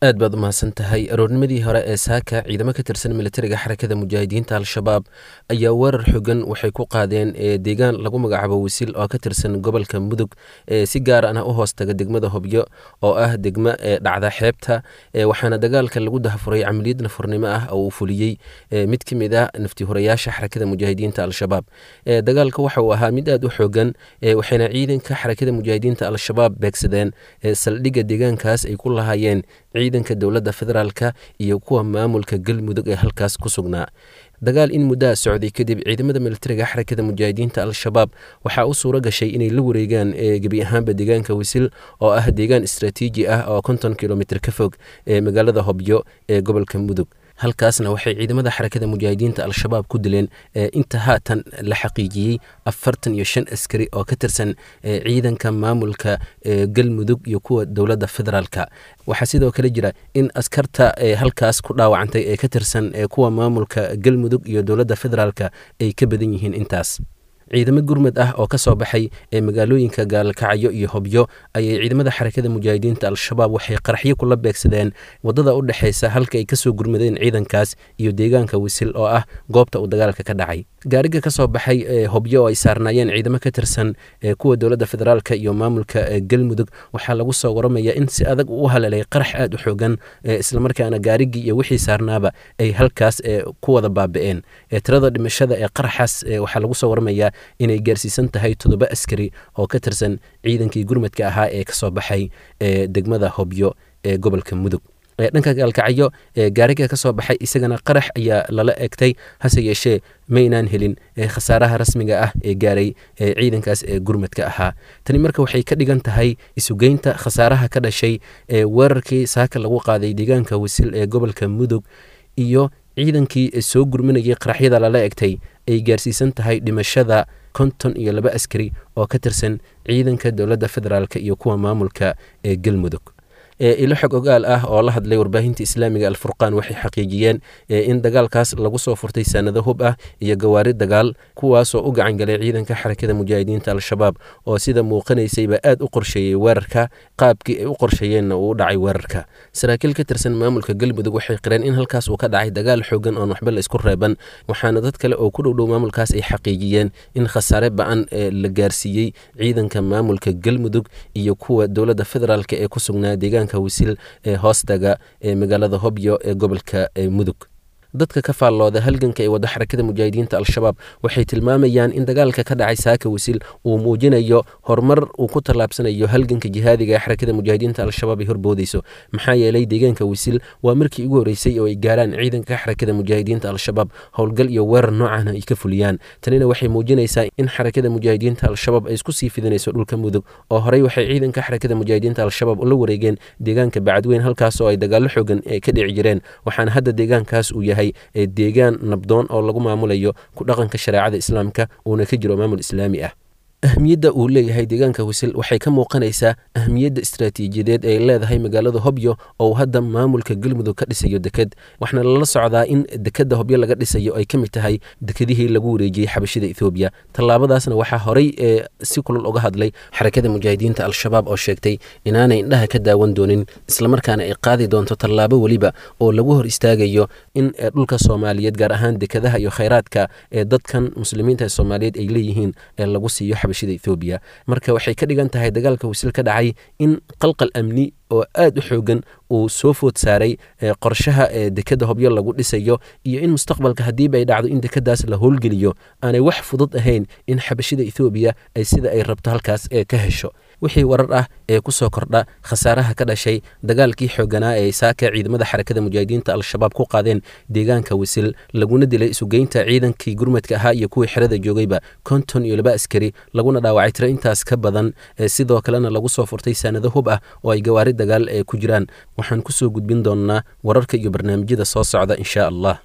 Aad baad u mahadsan tahay. Aroornimadii hore ee saaka, ciidamo ka tirsan militariga Xarakada Mujaahidiinta Al-Shabaab ayaa weerar xogan waxay ku qaadeen deegaan lagu magacaabo Wisil oo ka tirsan gobolka Mudug, si gaar ahna u hoostaga degmada Hobyo oo ah degmo dhacda xeebta. Waxaana dagaalka lagu dahafuray camaliyad nafurnimo ah oo uu fuliyey mid ka mid ah naftihurayaasha Xarakada Mujaahidiinta Al-Shabaab. Dagaalka waxa uu ahaa mid aad u xoogan, waxayna ciidanka Xarakada Mujaahidiinta Al-Shabaab beegsadeen saldhigga deegaankaas ay ku lahaayeen ciidanka dowladda federaalka iyo kuwa maamulka Galmudug ee halkaas ku sugnaa. Dagaal in muddaa socday kadib, ciidamada militariga Xarakada Mujaahidiinta Al-Shabaab waxaa u suuro gashay inay la wareegaan gebi ahaanba deegaanka Wisil oo ah deegaan istraatiiji ah oo 50 kilomitr ka fog ee magaalada Hobyo ee gobolka Mudug. Halkaasna waxay ciidamada Xarakada Mujaahidiinta Al-Shabaab ku dileen, inta haatan la xaqiijiyey, 45 askari oo ka tirsan ciidanka maamulka Galmudug iyo kuwa dowladda federaalka. Waxaa sidoo kale jira in askarta halkaas ku dhaawacantay ee ka tirsan kuwa maamulka Galmudug iyo dowladda federaalka ay ka badan yihiin intaas. Ciidamo gurmad ah oo ka soo baxay ee magaalooyinka Gaalkacyo iyo Hobyo ayay ciidamada Xarakada Mujaahidiinta Al-Shabaab waxay qaraxyo kula beegsadeen wadada u dhexeysa halka ay kasoo gurmadeen ciidankaas iyo deegaanka Wisil oo ah goobta uu dagaalka ka dhacay. Gaariga ka soo baxay Hobyo oo ay saarnaayeen ciidamo ka tirsan kuwa dowladda federaalka iyo maamulka Galmudug waxaa lagu soo waramaya in si adag uu u haleelay qarax aad u xoogan, islamarkaana gaarigii iyo wixii saarnaaba ay halkaas ku wada baabi'een. Tirada dhimashada ee qaraxaas waxaa lagu soo waramayaa inay gaarsiisan tahay 7 askari oo ka tirsan ciidankii gurmadka ahaa ee kasoo baxay degmada Hobyo ee gobolka Mudug. Dhanka Gaalkacyo gaariga ka soo baxay isagana qarax ayaa lala egtay, hase yeeshee maynaan helin khasaaraha rasmiga ah ee gaaray ciidankaas ee gurmadka ahaa. Tani marka waxay ka dhigan tahay isugeynta khasaaraha ka dhashay weerarkii saaka lagu qaaday deegaanka Wisil ee gobolka Mudug iyo ciidankii soo gurminayay qaraxyada lala egtay ay gaarsiisan tahay dhimashada 52 askari oo ka tirsan ciidanka dowladda federaalk iyo kuwa maamulka ee Galmudug. Ilo xog ogaal ah oo la hadlay warbaahinta islaamiga Alfurqaan waxay xaqiijiyeen in dagaalkaas lagu soo furtay sanado hub ah iyo gawaari dagaal, kuwaasoo u gacan galay ciidanka Xarakada Mujaahidiinta Al-Shabaab oo sida muuqanaysayba aad u qorsheeyey weerarka, qaabkii ay u qorsheeyeenna uu u dhacay weerarka. Saraakiil ka tirsan maamulka Galmudug waxay qireen in halkaas uu ka dhacay dagaal xoogan oon waxba la isku reeban, waxaana dad kale oo ku dhowdhow maamulkaas ay xaqiijiyeen in khasaare ba-an la gaarsiiyey ciidanka maamulka Galmudug iyo kuwa dowladda federaalk ee ku sugnaa deegaanka Wisil ee hoostaga ee magaalada Hobyo ee gobolka Mudug. Dadka ka faallooda halganka ee wadda Xarakada Mujaahidiinta Al-Shabaab waxay tilmaamayaan in dagaalka ka dhacay saaka Wisil uu muujinayo horumar uu ku tallaabsanayo halganka jihaadiga ee Xarakada Mujaahidiinta Al-Shabaab ay horboodeyso, maxaa yeelay deegaanka Wisil waa markii ugu horreysay oo ay gaaraan ciidanka Xarakada Mujaahidiinta Al-Shabaab, howlgal iyo weerar noocan ay ka fuliyaan. Tanina waxay muujinaysaa in Xarakada Mujaahidiinta Al-Shabaab ay isku sii fidinayso dhulka Mudug, oo horey waxay ciidanka Xarakada Mujaahidiinta Al-Shabaab ula wareegeen deegaanka Bacadweyn, halkaas oo ay dagaallo xoogan ka dhici jireen, waxaana hadda deegaankaas uu yahay deegaan nabdoon oo lagu maamulayo ku dhaqanka shareecada islaamka, uuna ka jiro maamul islaami ah. Ahmiyadda uu leeyahay deegaanka Wisil waxay ka muuqanaysaa ahmiyadda istaraatiijiyadeed ay leedahay magaalada Hobyo oo hadda maamulka Galmudug ka dhisayo deked, waxaana lala socdaa in dekedda Hobyo laga dhisayo ay ka mid tahay dekedihii lagu wareejiyey xabashida Ethoobiya. Tallaabadaasna waxaa horey si kulul uga hadlay Xarakada Mujaahidiinta Al-Shabaab oo sheegtay inaanay indhaha ka daawan doonin, islamarkaana ay qaadi doonto tallaabo weliba oo lagu hor istaagayo in dhulka Soomaaliyeed, gaar ahaan dekadaha iyo khayraadka ee dadkan muslimiinta ee Soomaaliyeed ay leeyihiin, ee lagu siiyo xabashida Ethoobiya. Marka waxay ka dhigan tahay dagaalka Wisil ka dhacay in qalqal amni oo aad u xoogan uu soo food saaray qorshaha dekadda Hobyo lagu dhisayo, iyo in mustaqbalka haddiiba ay dhacdo in dekadaas la howlgeliyo aanay wax fudud ahayn in xabashida Ethoobiya ay sida ay rabto halkaas ka hesho. Wixii warar ah ee ku soo kordha khasaaraha ka dhashay dagaalkii xooganaa ee saaka ciidamada Xarakada Mujaahidiinta Al-Shabaab ku qaadeen deegaanka Wisil, laguna dilay isugeynta ciidankii gurmadka ahaa iyo kuwii xerada joogayba 52 askari, laguna dhaawacay tiro intaas ka badan, sidoo kalena lagu soo furtay saanado hub ah oo ay gawaari dagaal ee ku jiraan, waxaan kusoo gudbin doonnaa wararka iyo barnaamijyada soo socda insha Allah.